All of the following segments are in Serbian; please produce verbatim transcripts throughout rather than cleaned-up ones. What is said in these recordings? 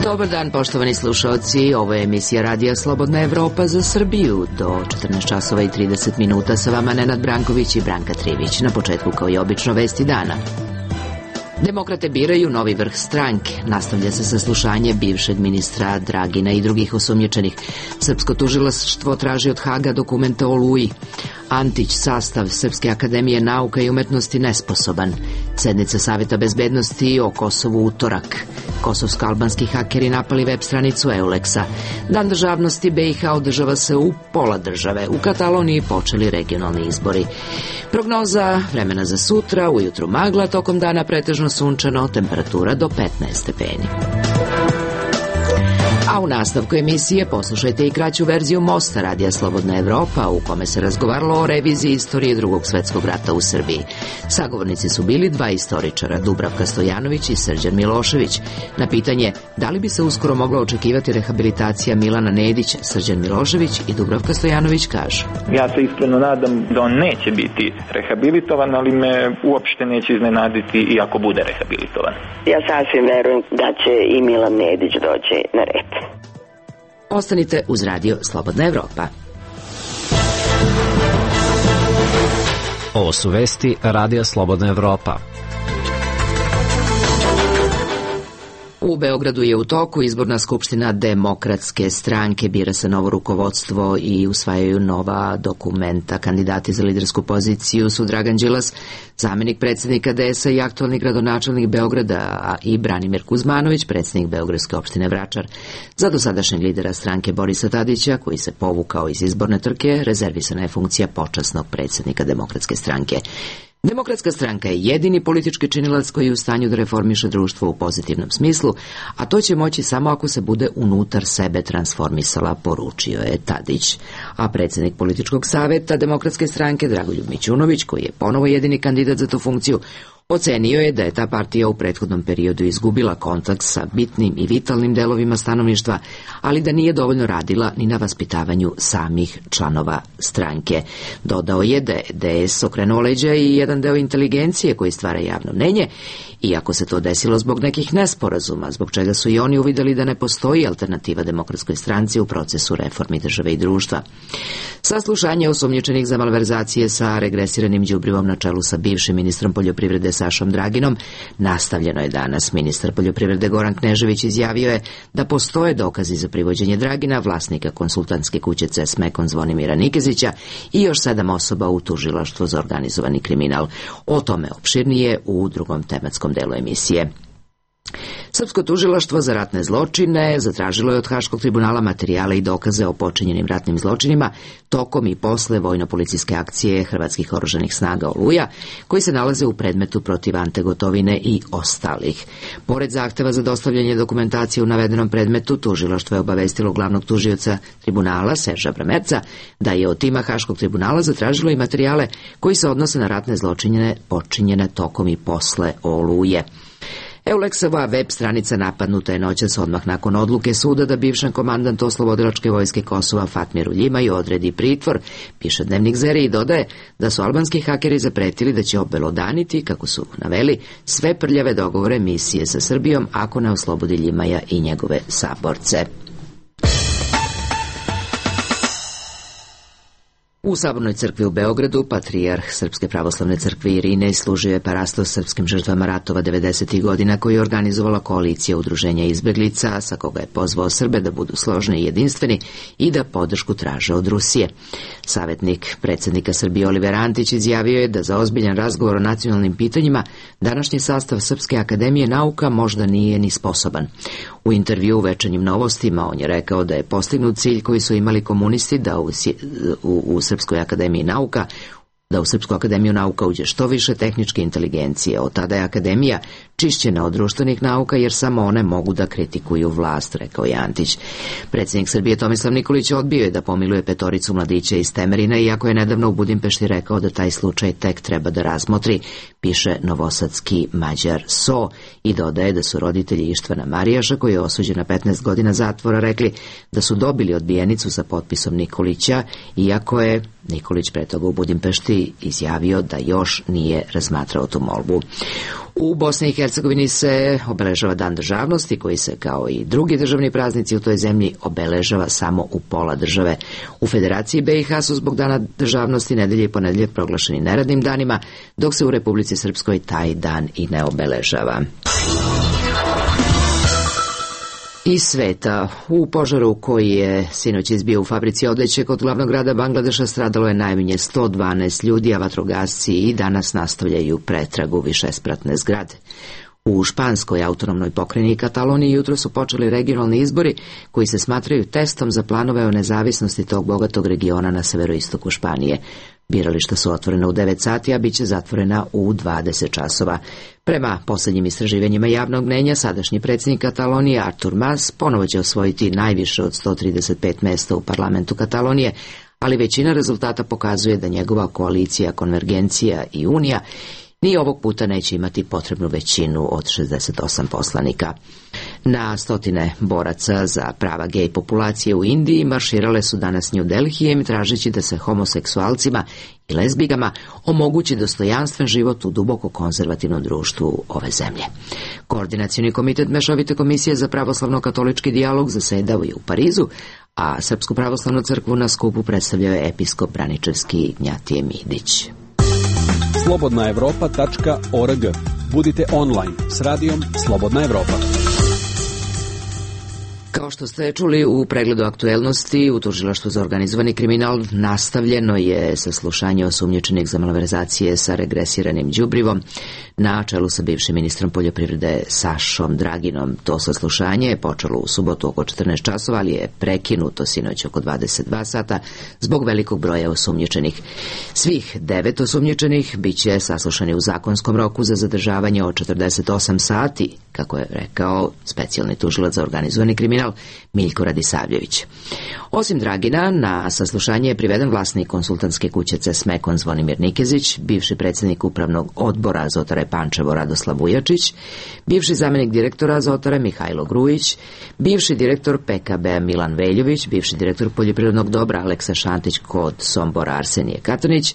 Dobar dan, poštovani slušalci. Ovo je emisija Radija Slobodna Evropa za Srbiju. Do četrnaest časova i trideset minuta sa vama Nenad Branković i Branka Trivić. Na početku, kao i obično, vesti dana. Demokrate biraju novi vrh stranke. Nastavlja se saslušanje bivšeg ministra Dragina i drugih osumnjičenih. Srpsko tužilaštvo traži od Haga dokumente o Oluji. Antić, sastav Srpske akademije nauka i umetnosti nesposoban. Sednica Saveta bezbednosti o Kosovu utorak. Kosovsko-albanski hakeri napali web stranicu Euleksa. Dan državnosti B i H održava se u pola države. U Kataloniji počeli regionalni izbori. Prognoza vremena za sutra, ujutru magla, tokom dana pretežno sunčano, temperatura do petnaest stepeni. A u nastavku emisije poslušajte i kraću verziju Mosta Radija Slobodna Evropa, u kome se razgovaralo o reviziji istorije drugog svetskog rata u Srbiji. Sagovornici su bili dva istoričara, Dubravka Stojanović i Srđan Milošević. Na pitanje da li bi se uskoro mogla očekivati rehabilitacija Milana Nedića, Srđan Milošević i Dubravka Stojanović kažu: Ja se iskreno nadam da on neće biti rehabilitovan, ali me uopšte neće iznenaditi i ako bude rehabilitovan. Ja sasvim verujem da će i Milan Nedić doći na red. Ostanite uz Radio Slobodna Evropa. Ovo su vesti Radija Slobodna Evropa. U Beogradu je u toku izborna skupština Demokratske stranke, bira se novo rukovodstvo i usvajaju nova dokumenta. Kandidati za lidersku poziciju su Dragan Đilas, zamenik predsjednika D S A i aktualni gradonačelnik Beograda, a i Branimir Kuzmanović, predsjednik Beogradske opštine Vračar. Za dosadašnjeg lidera stranke Borisa Tadića, koji se povukao iz izborne trke, rezervisana je funkcija počasnog predsjednika Demokratske stranke. Demokratska stranka je jedini politički činilac koji je u stanju da reformiše društvo u pozitivnom smislu, a to će moći samo ako se bude unutar sebe transformisala, poručio je Tadić. A predsjednik političkog saveta Demokratske stranke Dragoljub Mićunović, koji je ponovo jedini kandidat za tu funkciju, ocenio je da je ta partija u prethodnom periodu izgubila kontakt sa bitnim i vitalnim delovima stanovništva, ali da nije dovoljno radila ni na vaspitavanju samih članova stranke. Dodao je da je D S okrenuo leđa i jedan deo inteligencije koji stvara javno mnenje, iako se to desilo zbog nekih nesporazuma, zbog čega su i oni uvidjeli da ne postoji alternativa Demokratskoj stranci u procesu reformi države i društva. Saslušanje osumnjičenih za malverzacije sa regresiranim đubrivom na čelu sa bivšim ministrom poljoprivrede Sašom Draginom nastavljeno je danas. Ministar poljoprivrede Goran Knežević izjavio je da postoje dokazi za privođenje Dragina, vlasnika konsultantske kuće C E S Mekon Zvonimira Nikezića i još sedam osoba u tužilaštvu za organizovani kriminal. O tome opširnije u drugom tematskom delu emisije. Srpsko tužilaštvo za ratne zločine zatražilo je od Haškog tribunala materijale i dokaze o počinjenim ratnim zločinima tokom i posle vojno-policijske akcije hrvatskih oružanih snaga Oluja, koji se nalaze u predmetu protiv Ante Gotovine i ostalih. Pored zahteva za dostavljanje dokumentacije u navedenom predmetu, tužilaštvo je obavestilo glavnog tužioca tribunala Serža Bramerca da je od tima Haškog tribunala zatražilo i materijale koji se odnose na ratne zločine počinjene tokom i posle Oluje. Euleksova web stranica napadnuta je noćas odmah nakon odluke suda da bivšem komandantu oslobodilačke vojske Kosova Fatmiru Ljimaju odredi pritvor, piše Dnevnik Zere i dodaje da su albanski hakeri zapretili da će obelodaniti, kako su naveli, sve prljave dogovore misije sa Srbijom ako ne oslobodi Ljimaja i njegove saborce. U Sabornoj crkvi u Beogradu patrijarh Srpske pravoslavne crkve Irinej služio je parastos srpskim žrtvama ratova devedesetih godina koji je organizovala koalicija udruženja izbeglica, sa koga je pozvao Srbe da budu složni i jedinstveni i da podršku traže od Rusije. Savjetnik predsjednika Srbije Oliver Antić izjavio je da za ozbiljan razgovor o nacionalnim pitanjima današnji sastav Srpske akademije nauka možda nije ni sposoban. U intervju u Večernjim novostima on je rekao da je postignut cilj koji su imali komunisti da u, u, u Srpskoj akademiji nauka da u Srpsku akademiju nauka uđe što više tehničke inteligencije. Od tada je akademija čišćena od društvenih nauka jer samo one mogu da kritikuju vlast, rekao je Antić. Predsjednik Srbije Tomislav Nikolić odbio je da pomiluje petoricu mladića iz Temerina, iako je nedavno u Budimpešti rekao da taj slučaj tek treba da razmotri, piše novosadski Mađar So, i dodaje da su roditelji Ištvana Marijaša, koji je osuđen na petnaest godina zatvora, rekli da su dobili odbijenicu sa potpisom Nikolića, iako je Nikolić pre toga u Budimpešti javnosti izjavio da još nije razmatrao tu molbu. U Bosni i Hercegovini se obeležava Dan državnosti, koji se kao i drugi državni praznici u toj zemlji obeležava samo u pola države. U Federaciji B i H su zbog Dana državnosti nedelje i ponedeljak proglašeni neradnim danima, dok se u Republici Srpskoj taj dan i ne obeležava. Iz sveta. U požaru koji je sinoć izbio u fabrici odeće kod glavnog grada Bangladeša stradalo je najmanje sto dvanaest ljudi, a vatrogasci i danas nastavljaju pretragu višespratne zgrade. U španskoj autonomnoj pokrajini Kataloniji jutro su počeli regionalni izbori koji se smatraju testom za planove o nezavisnosti tog bogatog regiona na severoistoku Španije. Birališta su otvorena u devet sati, a bit će zatvorena u dvadeset časova. Prema posljednjim istraživanjima javnog mnenja, sadašnji predsjednik Katalonije Artur Mas ponovo će osvojiti najviše od sto trideset pet mesta u parlamentu Katalonije, ali većina rezultata pokazuje da njegova koalicija, konvergencija i unija ni ovog puta neće imati potrebnu većinu od šezdeset osam poslanika. Na stotine boraca za prava gej populacije u Indiji marširale su danas New Delhijem tražeći da se homoseksualcima i lezbigama omogući dostojanstven život u duboko konzervativnom društvu ove zemlje. Koordinacioni komitet Mešovite komisije za pravoslavno-katolički dijalog zasedao je u Parizu, a Srpsku pravoslavnu crkvu na skupu predstavljao je episkop Braničevski Ignjatije Midić. slobodna evropa tačka org. Budite online s radijom Slobodna Evropa. Kao što ste čuli u pregledu aktuelnosti, u Tužilaštvu za organizovani kriminal nastavljeno je saslušanje osumnjičenih za malverzacije sa regresiranim đubrivom na čelu sa bivšim ministrom poljoprivrede Sašom Draginom. To saslušanje je počelo u subotu oko četrnaest časova, ali je prekinuto sinoć oko dvadeset dva sata zbog velikog broja osumnjičenih. Svih devet osumnjičenih bit će saslušani u zakonskom roku za zadržavanje od četrdeset osam sati, kako je rekao specijalni tužilac za organizovani kriminal Miljko Radisavljević. Osim Dragina, na saslušanje je priveden vlasnik konsultantske kuće Cesmekon Zvonimir Nikezić, bivši predsjednik upravnog odbora Azotare Pančevo Radoslav Vujačić, bivši zamjenik direktora Azotare Mihajlo Grujić, bivši direktor P K B Milan Veljović, bivši direktor poljoprivrednog dobra Aleksa Šantić kod Sombora Arsenije Katanić,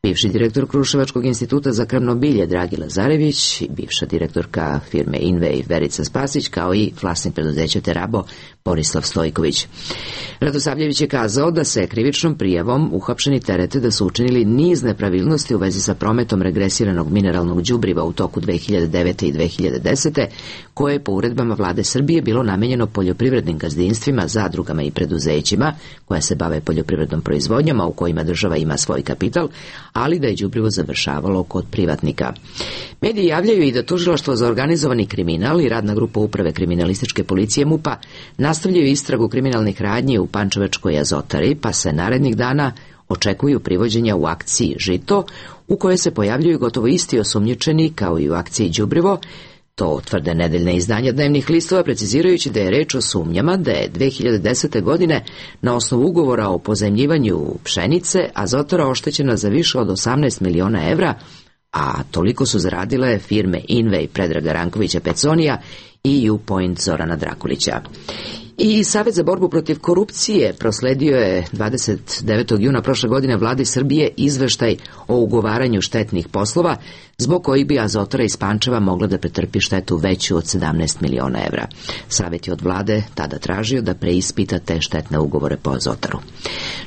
bivši direktor Kruševačkog instituta za krvno bilje Dragi Lazarević, bivša direktorka firme Invej Verica Spasić, kao i vlasnik preduzeća Terabo Borislav Stojković. Radosavljević je kazao da se krivičnom prijavom uhapšeni terete da su učinili niz nepravilnosti u vezi sa prometom regresiranog mineralnog đubriva u toku dve hiljade devete i dve hiljade desete, koje je po uredbama vlade Srbije bilo namenjeno poljoprivrednim gazdinstvima, zadrugama i preduzećima koja se bave poljoprivrednom proizvodnjom, a u kojima država ima svoj kapital, ali da je đubrivo završavalo kod privatnika. Mediji javljaju i da Tužilaštvo za organizovani kriminal i radna grupa uprave kriminalističke policije MUP-a nastavljaju istragu kriminalnih radnji u Pančevačkoj Azotari, pa se narednih dana očekuju privođenja u akciji Žito, u kojoj se pojavljuju gotovo isti osumnjičeni kao i u akciji Đubrivo. To tvrde nedeljne izdanja dnevnih listova, precizirajući da je reč o sumnjama da je dve hiljade desete. godine na osnovu ugovora o pozajmljivanju pšenice Azotara oštećena za više od osamnaest miliona evra, a toliko su zaradile firme Invej Predraga Rankovića Peconija i U-Point Zorana Drakulića. I Savet za borbu protiv korupcije prosledio je dvadeset devetog juna prošle godine vladi Srbije izveštaj o ugovaranju štetnih poslova, zbog kojih bi Azotara iz Pančeva mogla da pretrpi štetu veću od sedamnaest miliona evra. Savet je od vlade tada tražio da preispita te štetne ugovore po Azotaru.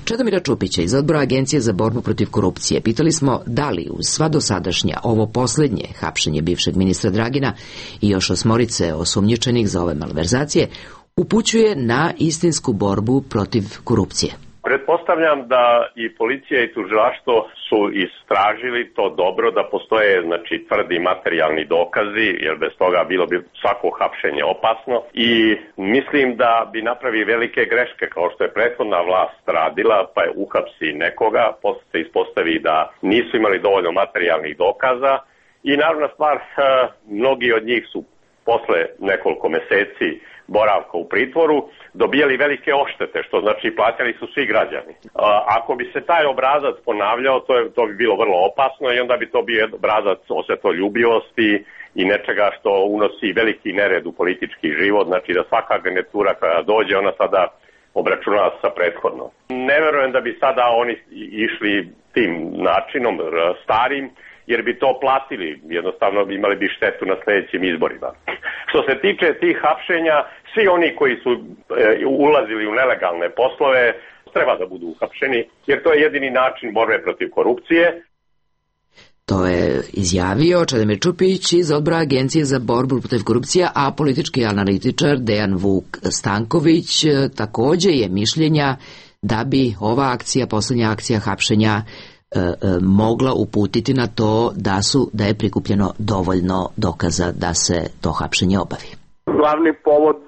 Čedomira Čupića iz odbora Agencije za borbu protiv korupcije pitali smo da li uz sva dosadašnja ovo posljednje hapšenje bivšeg ministra Dragina i još osmorice osumnjičenih za ove malverzacije upućuje na istinsku borbu protiv korupcije. Pretpostavljam da i policija i tužilaštvo su istražili to dobro, da postoje znači tvrdi materijalni dokazi, jer bez toga bilo bi svako hapšenje opasno, i mislim da bi napravi velike greške kao što je prethodna vlast radila, pa je uhapsi nekoga, posle se ispostavi da nisu imali dovoljno materijalnih dokaza i naravna stvar, mnogi od njih su posle nekoliko meseci boravka u pritvoru dobijali velike oštete, što znači plaćali su svi građani. A, ako bi se taj obrazac ponavljao, to, je, to bi bilo vrlo opasno i onda bi to bio obrazac osvetoljubivosti i nečega što unosi veliki nered u politički život, znači da svaka garnitura koja dođe, ona sada obračunava sa prethodno. Ne verujem da bi sada oni išli tim načinom starim, jer bi to platili, jednostavno imali bi štetu na sljedećim izborima. Što se tiče tih hapšenja, svi oni koji su e, ulazili u nelegalne poslove treba da budu uhapšeni, jer to je jedini način borbe protiv korupcije. To je izjavio Čedomir Čupić iz odbora Agencije za borbu protiv korupcije, a politički analitičar Dejan Vuk Stanković takođe je mišljenja da bi ova akcija, poslednja akcija hapšenja, e, e, mogla uputiti na to da su da je prikupljeno dovoljno dokaza da se to hapšenje obavi. Glavni povod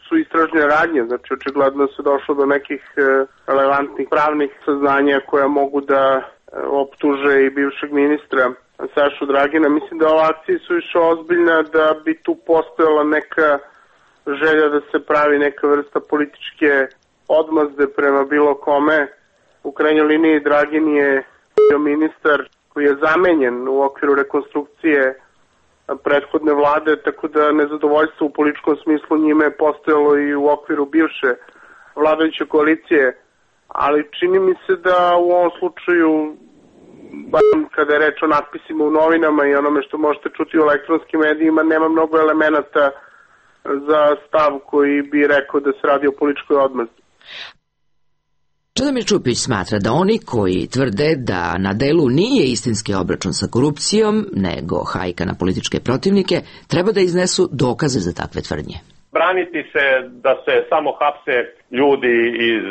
su istražne radnje, znači očigledno se došlo do nekih relevantnih pravnih saznanja koja mogu da optuže i bivšeg ministra Sašu Dragina. Mislim da ova akcija su više ozbiljna, da bi tu postojala neka želja da se pravi neka vrsta političke odmazde prema bilo kome. U krajnjoj liniji Dragin je bio ministar koji je zamenjen u okviru rekonstrukcije prethodne vlade, tako da nezadovoljstvo u političkom smislu njime je postojalo i u okviru bivše vladajuće koalicije. Ali čini mi se da u ovom slučaju, kada je reč o natpisima u novinama i onome što možete čuti u elektronskim medijima, nema mnogo elemenata za stav koji bi rekao da se radi o političkoj odmazdi. Čedomir Čupić smatra da oni koji tvrde da na delu nije istinski obračun sa korupcijom, nego hajka na političke protivnike, treba da iznesu dokaze za takve tvrdnje. Braniti se da se samo hapse ljudi iz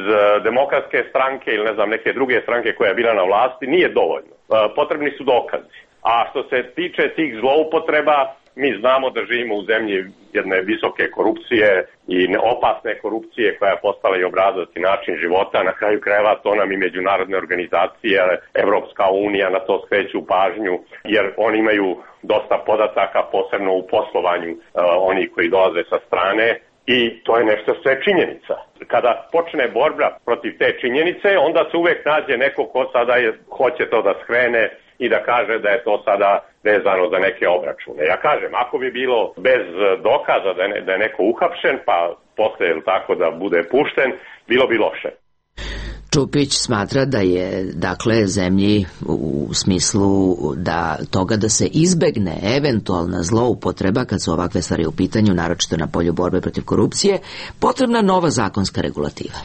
Demokratske stranke ili ne znam neke druge stranke koja je bila na vlasti nije dovoljno. Potrebni su dokazi. A što se tiče tih zloupotreba, mi znamo da živimo u zemlji jedne visoke korupcije i opasne korupcije koja je postala i obrazac način života. Na kraju krajeva to nam i međunarodne organizacije, Evropska unija na to skreću pažnju, jer oni imaju dosta podataka, posebno u poslovanju uh, oni koji dolaze sa strane, i to je nešto što je činjenica. Kada počne borba protiv te činjenice, onda se uvek nađe neko ko sada je, hoće to da skrene i da kaže da je to sada vezano za neke obračune. Ja kažem, ako bi bilo bez dokaza da je, da je neko uhapšen, pa posle tako da bude pušten, bilo bi loše. Čupić smatra da je, dakle, zemlji u smislu da toga da se izbegne eventualna zloupotreba kad su ovakve stvari u pitanju, naročito na polju borbe protiv korupcije, potrebna nova zakonska regulativa.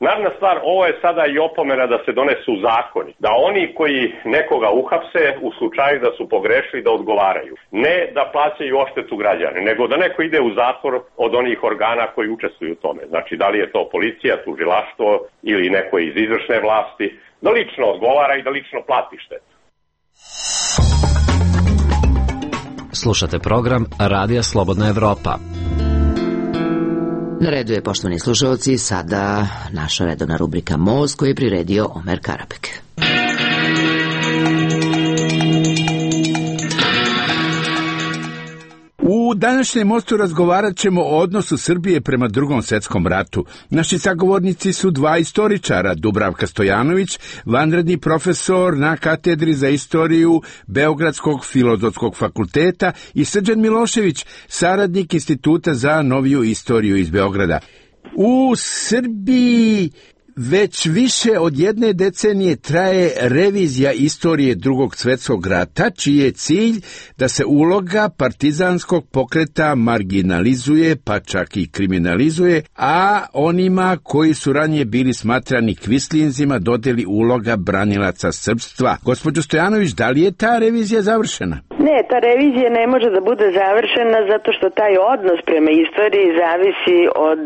Naravna stvar, ovo je sada i opomena da se donesu zakoni, da oni koji nekoga uhapse u slučaju da su pogrešili da odgovaraju. Ne da plaćaju odštetu građane, nego da neko ide u zatvor od onih organa koji učestvuju u tome. Znači, da li je to policija, tužilaštvo ili neko iz izvršne vlasti, da lično odgovara i da lično plati štetu. Slušate program Radija Slobodna Evropa. Na redu je, poštovani slušalci, sada naša redovna rubrika Most, koju je priredio Omer Karabek. U današnjem Mostu razgovarat ćemo o odnosu Srbije prema Drugom svetskom ratu. Naši sagovornici su dva istoričara, Dubravka Stojanović, vanredni profesor na katedri za istoriju Beogradskog filozofskog fakulteta, i Srđan Milošević, saradnik Instituta za noviju istoriju iz Beograda. U Srbiji već više od jedne decenije traje revizija istorije Drugog svjetskog rata, čiji je cilj da se uloga partizanskog pokreta marginalizuje, pa čak i kriminalizuje, a onima koji su ranije bili smatrani kvislinzima dodeli uloga branilaca srpstva. Gospođo Stojanović, da li je ta revizija završena? Ne, ta revizija ne može da bude završena zato što taj odnos prema istoriji zavisi od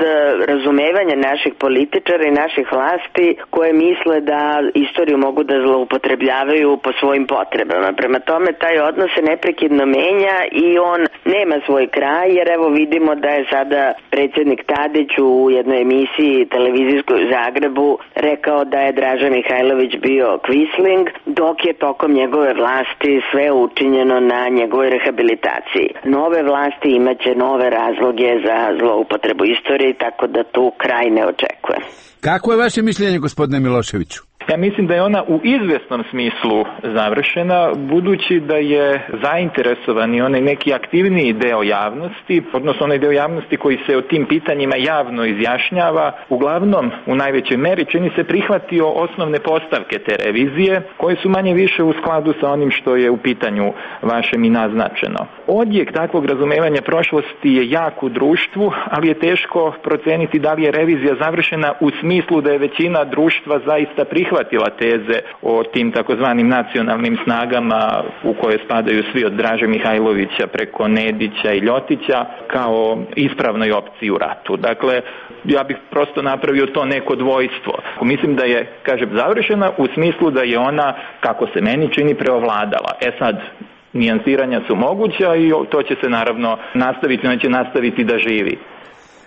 razumevanja naših političara i naših vlasti koje misle da istoriju mogu da zloupotrebljavaju po svojim potrebama. Prema tome, taj odnos se neprekidno menja i on nema svoj kraj, jer evo vidimo da je sada predsjednik Tadić u jednoj emisiji televizijskoj u Zagrebu rekao da je Draža Mihajlović bio kvisling, dok je tokom njegove vlasti sve učinjeno na njegovoj rehabilitaciji. Nove vlasti imaće nove razloge za zloupotrebu istorije, tako da tu kraj ne očekuje. Kako je vaše mišljenje, gospodine Miloševiću? Ja mislim da je ona u izvjesnom smislu završena, budući da je zainteresovan i onaj neki aktivniji deo javnosti, odnosno onaj deo javnosti koji se o tim pitanjima javno izjašnjava, uglavnom u najvećoj meri čini se prihvatio osnovne postavke te revizije, koje su manje više u skladu sa onim što je u pitanju vašem i naznačeno. Odjek takvog razumevanja prošlosti je jak u društvu, ali je teško proceniti da li je revizija završena u smislu da je većina društva zaista prihvatila teze o tim takozvanim nacionalnim snagama u koje spadaju svi od Draže Mihajlovića preko Nedića i Ljotića kao ispravnoj opciji u ratu. Dakle, ja bih prosto napravio to neko dvojstvo. Mislim da je, kažem, završena u smislu da je ona, kako se meni čini, preovladala. E sad, nijansiranja su moguća i to će se naravno nastaviti, ona će nastaviti da živi.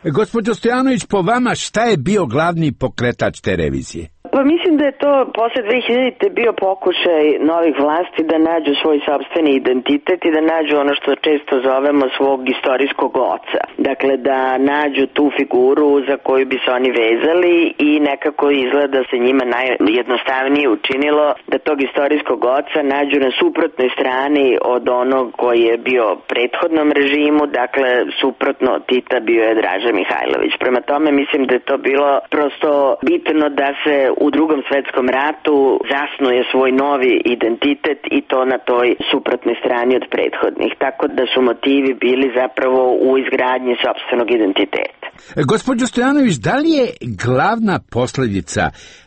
Gospođo Stojanović, po vama šta je bio glavni pokretač te revizije? Pa mislim da je to posle dve hiljadite bio pokušaj novih vlasti da nađu svoj sopstveni identitet i da nađu ono što često zovemo svog istorijskog oca. Dakle, da nađu tu figuru za koju bi se oni vezali i nekako izgleda se njima najjednostavnije učinilo da tog istorijskog oca nađu na suprotnoj strani od onog koji je bio prethodnom režimu, dakle, suprotno Tita bio je Draža Mihajlović. Prema tome mislim da je to bilo prosto bitno da se u drugom svetskom ratu zasnuje svoj novi identitet i to na toj suprotnoj strani od prethodnih. Tako da su motivi bili zapravo u izgradnji sopstvenog identiteta. Gospođo Stojanović, da li je glavna posljedica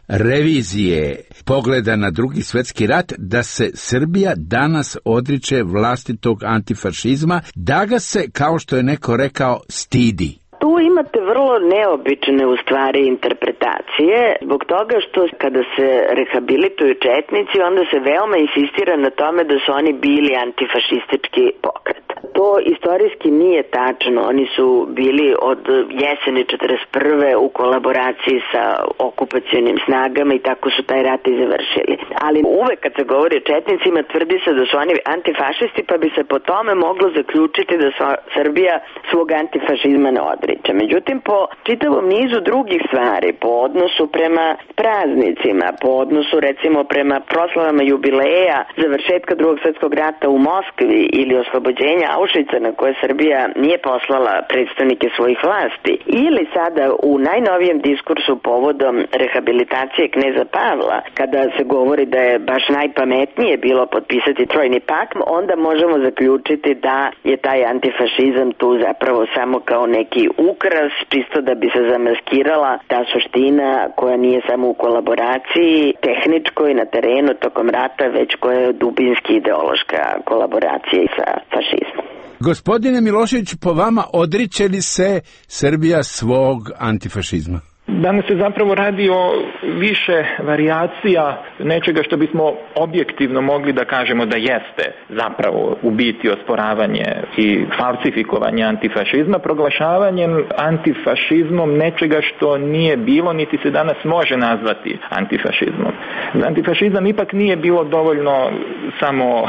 revizije pogleda na drugi svjetski rat da se Srbija danas odriče vlastitog antifašizma, da ga se, kao što je neko rekao, stidi? Tu imate vrlo neobične u stvari interpretacije, zbog toga što kada se rehabilituju četnici, onda se veoma insistira na tome da su oni bili antifašistički pokret. To istorijski nije tačno, oni su bili od jeseni četrdeset prve u kolaboraciji sa okupacionim snagama i tako su taj rat i završili. Ali uvek kad se govori o četnicima tvrdi se da su oni antifašisti, pa bi se po tome moglo zaključiti da Srbija svog antifašizma ne odriče. Međutim, po čitavom nizu drugih stvari, po odnosu prema praznicima, po odnosu recimo prema proslavama jubileja završetka drugog svjetskog rata u Moskvi ili oslobođenja Auschwitza na koje Srbija nije poslala predstavnike svojih vlasti, ili sada u najnovijem diskursu povodom rehabilitacije kneza Pavla, kada se govori da je baš najpametnije bilo potpisati Trojni pakt, onda možemo zaključiti da je taj antifašizam tu zapravo samo kao neki ukras, čisto da bi se zamaskirala ta suština koja nije samo u kolaboraciji tehničkoj na terenu tokom rata, već koja je dubinski ideološka kolaboracija sa fašizmom. Gospodine Milošević, po vama odriče li se Srbija svog antifašizma? Danas se zapravo radi o više varijacija nečega što bismo objektivno mogli da kažemo da jeste zapravo u biti osporavanje i falsifikovanje antifašizma, proglašavanjem antifašizmom nečega što nije bilo niti se danas može nazvati antifašizmom. Za antifašizam ipak nije bilo dovoljno samo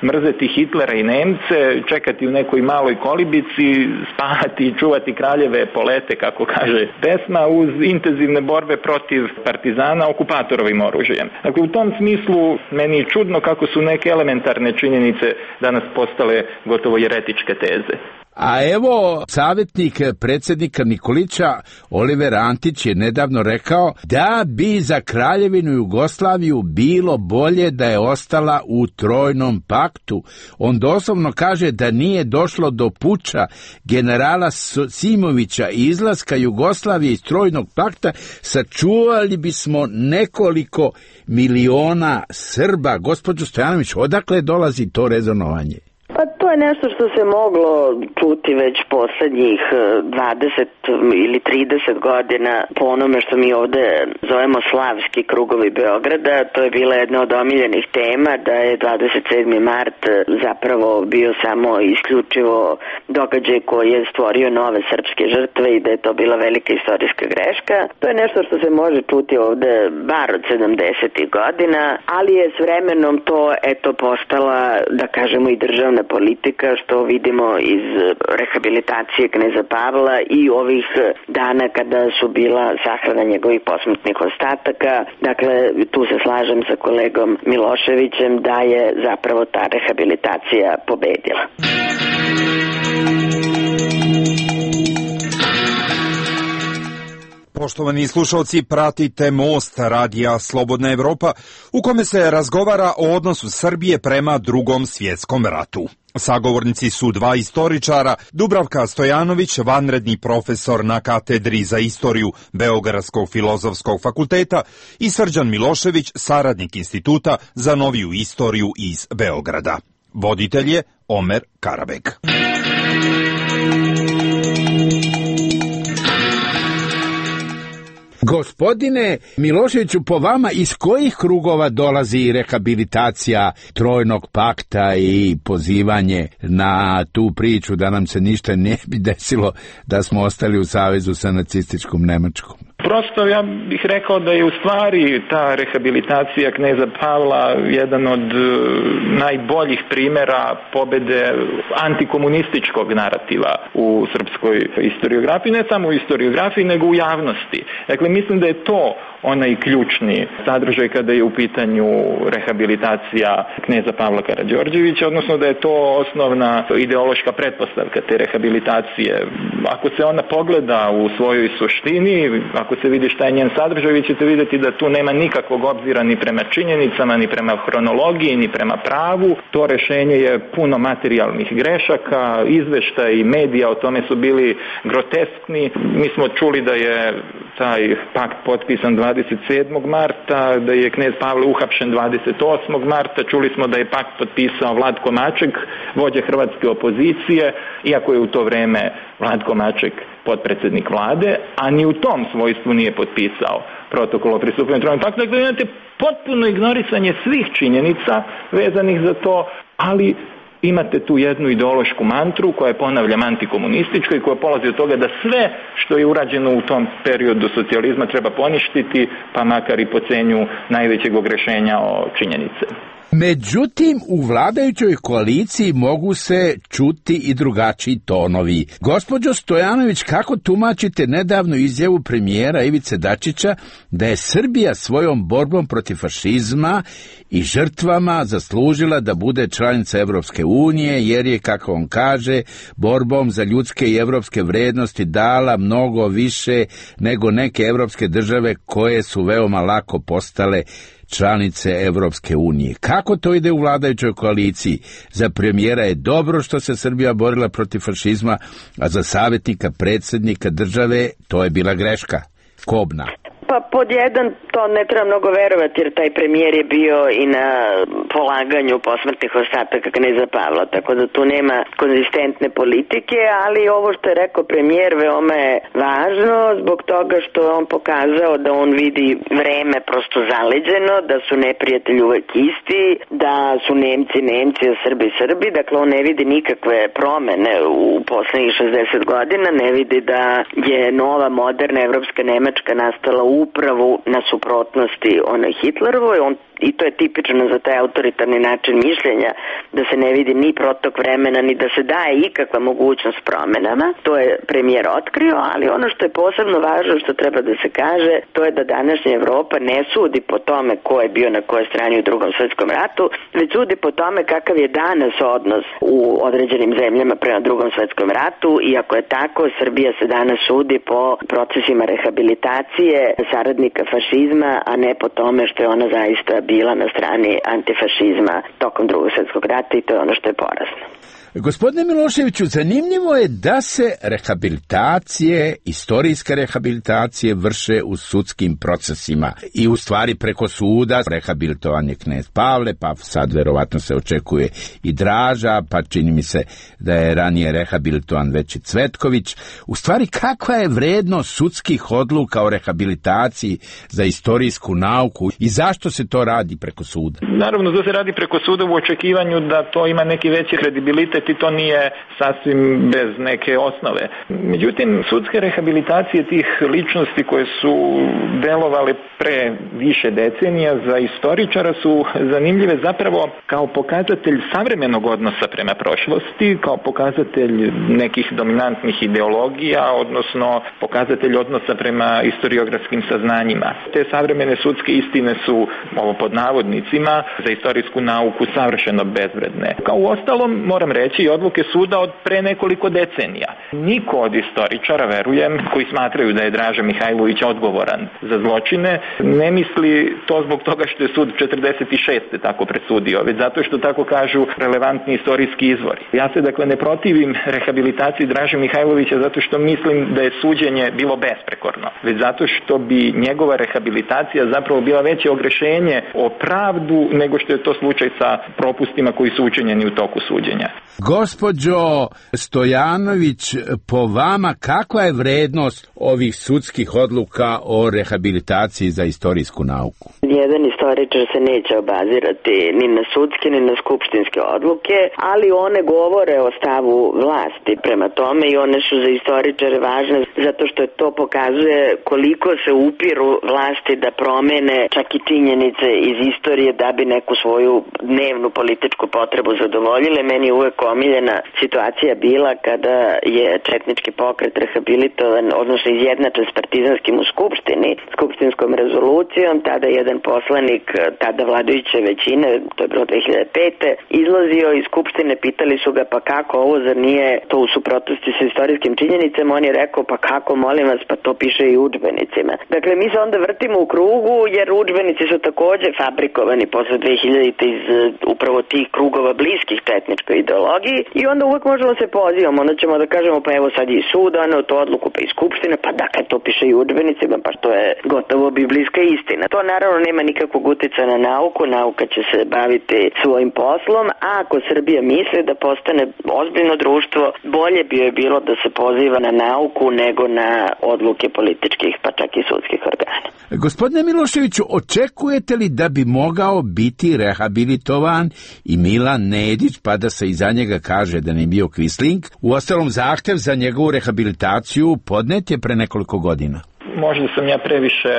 mrzeti Hitlera i Nemce, čekati u nekoj maloj kolibici, spavati i čuvati kraljeve polete, kako kaže pesma, uz intenzivne borbe protiv partizana okupatorovim oružjem. Dakle, u tom smislu meni je čudno kako su neke elementarne činjenice danas postale gotovo jeretičke teze. A evo, savjetnik predsjednika Nikolića, Oliver Antić, je nedavno rekao da bi za Kraljevinu Jugoslaviju bilo bolje da je ostala u Trojnom paktu. On doslovno kaže da nije došlo do puča generala Simovića i izlaska Jugoslavije iz Trojnog pakta, sačuvali bismo nekoliko miliona Srba. Gospođo Stojanović, odakle dolazi to rezonovanje? Pa to je nešto što se moglo čuti već poslednjih dvadeset ili trideset godina po onome što mi ovde zovemo slavski krugovi Beograda. To je bila jedna od omiljenih tema, da je dvadeset sedmi mart zapravo bio samo isključivo događaj koji je stvorio nove srpske žrtve i da je to bila velika istorijska greška. To je nešto što se može čuti ovde bar od sedamdesetih godina, ali je s vremenom to eto postala, da kažemo, i državna politika politika, što vidimo iz rehabilitacije kneza Pavla i ovih dana kada su bila sahrana njegovih posmrtnih ostataka. Dakle, tu se slažem sa kolegom Miloševićem da je zapravo ta rehabilitacija pobedila. Poštovani slušalci, pratite Most radija Slobodna Evropa, u kome se razgovara o odnosu Srbije prema Drugom svjetskom ratu. Sagovornici su dva istoričara, Dubravka Stojanović, vanredni profesor na katedri za istoriju Beogradskog filozofskog fakulteta, i Srđan Milošević, saradnik Instituta za noviju istoriju iz Beograda. Voditelj je Omer Karabek. Gospodine Miloševiću, po vama iz kojih krugova dolazi rehabilitacija Trojnog pakta i pozivanje na tu priču da nam se ništa ne bi desilo da smo ostali u savezu sa nacističkom Nemačkom? Prosto ja bih rekao da je u stvari ta rehabilitacija kneza Pavla jedan od najboljih primjera pobede antikomunističkog narativa u srpskoj historiografiji, ne samo u historiografiji nego u javnosti. Dakle, mislim da je to onaj ključni sadržaj kada je u pitanju rehabilitacija kneza Pavla Karađorđevića, odnosno da je to osnovna ideološka pretpostavka te rehabilitacije. Ako se ona pogleda u svojoj suštini, ako se vidi šta je njen sadržaj, vi ćete vidjeti da tu nema nikakvog obzira ni prema činjenicama, ni prema hronologiji, ni prema pravu. To rešenje je puno materijalnih grešaka, izveštaji medija o tome su bili groteskni. Mi smo čuli da je taj pakt potpisan dvadeset sedmog marta, da je knez Pavle uhapšen dvadeset osmog marta, čuli smo da je pakt potpisao Vlatko Maček, vođa hrvatske opozicije, iako je u to vreme Vlatko Maček potpredsjednik vlade, a ni u tom svojstvu nije potpisao protokol o pristupanju Trojnom paktu. Dakle, imate potpuno ignorisanje svih činjenica vezanih za to, ali imate tu jednu ideološku mantru koja je, ponavljam, antikomunistička i koja polazi od toga da sve što je urađeno u tom periodu socijalizma treba poništiti, pa makar i po cenju najvećeg ogrešenja o činjenice. Međutim, u vladajućoj koaliciji mogu se čuti i drugačiji tonovi. Gospođo Stojanović, kako tumačite nedavnu izjavu premijera Ivice Dačića da je Srbija svojom borbom protiv fašizma i žrtvama zaslužila da bude članica Evropske unije, jer je, kako on kaže, borbom za ljudske i evropske vrednosti dala mnogo više nego neke evropske države koje su veoma lako postale članice Evropske unije. Kako to ide u vladajućoj koaliciji? Za premijera je dobro što se Srbija borila protiv fašizma, a za savjetnika predsjednika države to je bila greška, kobna. Pa pod jedan, to ne treba mnogo verovati, jer taj premijer je bio i na polaganju posmrtnih ostataka kneza Pavla, tako da tu nema konzistentne politike, ali ovo što je rekao premijer veoma je važno zbog toga što je on pokazao da on vidi vreme prosto zaleđeno, da su neprijatelji uvek isti, da su Nemci Nemci, a Srbi Srbi, dakle on ne vidi nikakve promene u poslednjih šezdeset godina, ne vidi da je nova moderna evropska Nemačka nastala upravo na suprotnosti onoj Hitlerovoj. On, i to je tipično za taj autoritarni način mišljenja, da se ne vidi ni protok vremena, ni da se daje ikakva mogućnost promenama. To je premijer otkrio, ali ono što je posebno važno, što treba da se kaže, to je da današnja Evropa ne sudi po tome ko je bio na kojoj strani u Drugom svjetskom ratu, već sudi po tome kakav je danas odnos u određenim zemljama prema Drugom svjetskom ratu, i ako je tako, Srbija se danas sudi po procesima rehabilitacije saradnika fašizma, a ne po tome što je ona zaista bila na strani antifašizma tokom Drugog svjetskog rata, i to je ono što je porazno. Gospodine Miloševiću, zanimljivo je da se rehabilitacije, istorijske rehabilitacije vrše u sudskim procesima i u stvari preko suda. Rehabilitovan je knez Pavle, pa sad verovatno se očekuje i Draža, pa čini mi se da je ranije rehabilitovan već i Cvetković. U stvari, kakva je vrednost sudskih odluka o rehabilitaciji za istorijsku nauku i zašto se to radi preko suda? Naravno, da se radi preko suda u očekivanju da to ima neki veći kredibilitet i to nije sasvim bez neke osnove. Međutim, sudske rehabilitacije tih ličnosti koje su delovale pre više decenija za istoričara su zanimljive zapravo kao pokazatelj savremenog odnosa prema prošlosti, kao pokazatelj nekih dominantnih ideologija, odnosno pokazatelj odnosa prema historiografskim saznanjima. Te savremene sudske istine su, ovo pod navodnicima, za istorijsku nauku savršeno bezvredne. Kao u ostalom, moram reći, i odluke suda od pre nekoliko decenija. Niko od istoričara, verujem, koji smatraju da je Draža Mihajlović odgovoran za zločine, ne misli to zbog toga što je sud četrdeset šeste tako presudio, već zato što tako kažu relevantni istorijski izvori. Ja se dakle ne protivim rehabilitaciji Draže Mihajlovića zato što mislim da je suđenje bilo besprekorno, već zato što bi njegova rehabilitacija zapravo bila veće ogrešenje o pravdu nego što je to slučaj sa propustima koji su učinjeni u toku suđenja. Gospođo Stojanović, po vama kakva je vrednost ovih sudskih odluka o rehabilitaciji za istorijsku nauku? Jedan istoričar se neće obazirati ni na sudske ni na skupštinske odluke, ali one govore o stavu vlasti prema tome i one su za istoričare važne zato što to pokazuje koliko se upiru vlasti da promene čak i činjenice iz istorije da bi neku svoju dnevnu političku potrebu zadovoljile. Meni je uvek omiljena situacija bila kada je četnički pokret rehabilitovan, odnosno izjednačen s partizanskim u skupštini, skupštinskom rezolucijom. Tada jedan poslanik tada vladajuće većine, to je bilo dve hiljade pete izlazio iz skupštine, pitali su ga pa kako ovo, zar nije to u suprotnosti sa istorijskim činjenicama? On je rekao pa kako, molim vas, pa to piše i u udžbenicima. Dakle, mi se onda vrtimo u krugu jer udžbenici su takođe fabrikovani posle dve hiljadite iz upravo tih krugova bliskih četničkoj ideologiji i onda uvek možemo se pozivamo, onda ćemo da kažemo pa evo sad i sud, ono to odluku pa i skupštine, pa dakle to piše i u udžbenicima, pa to je gotovo biblijska istina. To naravno nema nikakvog uticaja na nauku, nauka će se baviti svojim poslom, a ako Srbija misli da postane ozbiljno društvo, bolje bi joj bilo da se poziva na nauku nego na odluke političkih, pa čak i sudskih organa. Gospodine Miloševiću, očekujete li da bi mogao biti rehabilitovan i Milan Nedić, pa da se iza njega kaže da ne bio Quisling? Uostalom, zahtev za njegovu rehabilitaciju podnet je pre nekoliko godina. Možda sam ja previše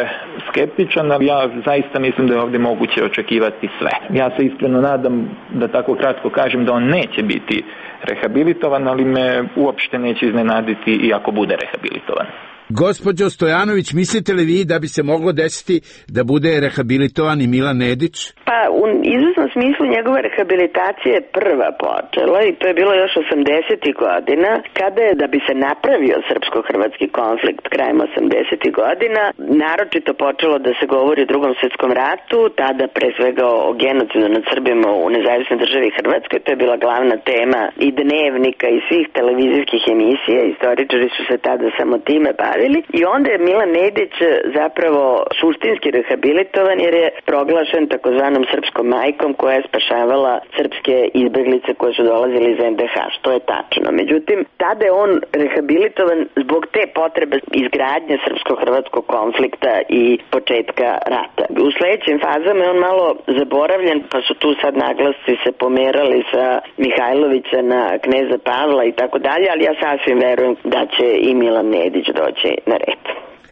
skeptičan, ali ja zaista mislim da je ovdje moguće očekivati sve. Ja se iskreno nadam, da tako kratko kažem, da on neće biti rehabilitovan, ali me uopšte neće iznenaditi i ako bude rehabilitovan. Gospođo Stojanović, mislite li vi da bi se moglo desiti da bude rehabilitovan i Milan Nedić? Pa u izvesnom smislu njegova rehabilitacija je prva počela i to je bilo još osamdesetih godina, kada je, da bi se napravio srpsko-hrvatski konflikt krajem osamdesetih godina, naročito počelo da se govori o Drugom svjetskom ratu, tada pre svega o genocidu nad Srbima u nezavisnoj državi Hrvatskoj. To je bila glavna tema i dnevnika i svih televizijskih emisija, istoričari su se tada samo time bavili i onda je Milan Nedić zapravo suštinski rehabilitovan jer je proglašen takozvanom srpskom majkom koja je spašavala srpske izbeglice koje su dolazili iz en de ha, što je tačno. Međutim, tada je on rehabilitovan zbog te potrebe izgradnje srpsko-hrvatskog konflikta i početka rata. U sledećim fazama je on malo zaboravljen, pa su tu sad naglasci se pomerali sa Mihajlovića na kneza Pavla i tako dalje, ali ja sasvim verujem da će i Milan Nedić doći na red.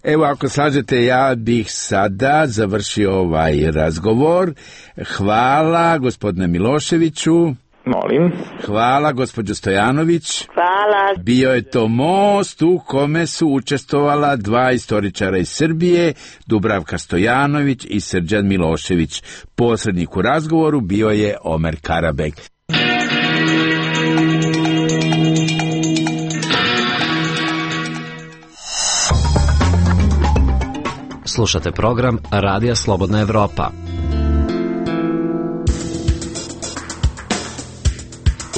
Evo, ako slažete, ja bih sada završio ovaj razgovor. Hvala gospodine Miloševiću. Molim. Hvala gospođo Stojanović. Hvala. Bio je to most u kome su učestvovala dva istoričara iz Srbije, Dubravka Stojanović i Srđan Milošević. Posrednik u razgovoru bio je Omer Karabek. Slušate program Radija Slobodna Evropa.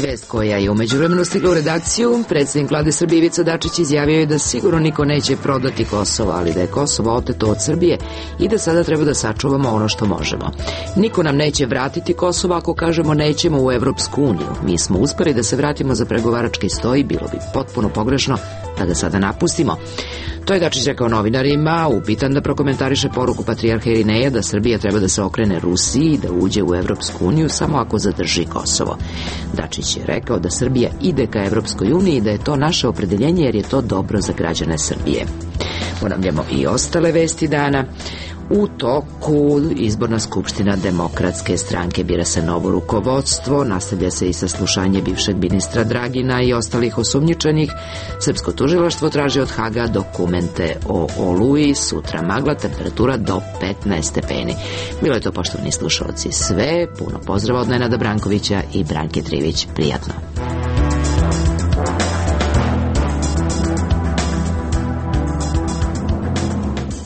Vest koja je u međuvremenu stigla u redakciju, predsjednik vlade Srbije Ivica Dačić izjavio je da sigurno niko neće prodati Kosovo, ali da je Kosovo oteto od Srbije i da sada treba da sačuvamo ono što možemo. Niko nam neće vratiti Kosovo ako kažemo nećemo u Evropsku uniju. Mi smo uspeli da se vratimo za pregovarački sto i bilo bi potpuno pogrešno da ga sada napustimo. To je Dačić rekao novinarima, upitan da prokomentariše poruku patrijarha Irineja da Srbija treba da se okrene Rusiji i da uđe u Evropsku uniju samo ako zadrži Kosovo. Dačić Vučić je rekao da Srbija ide ka Evropskoj uniji i da je to naše opredeljenje jer je to dobro za građane Srbije. Ponavljamo i ostale vesti dana. U toku izborna skupština Demokratske stranke bira se novo rukovodstvo, nastavlja se i saslušanje bivšeg ministra Dragina i ostalih osumnjičenih. Srpsko tužilaštvo traži od Haga dokumente o Oluji, sutra magla, temperatura do petnaest stepeni. Bilo je to, poštovani slušalci, sve. Puno pozdrava od Nenada Brankovića i Branke Trivić. Prijatno.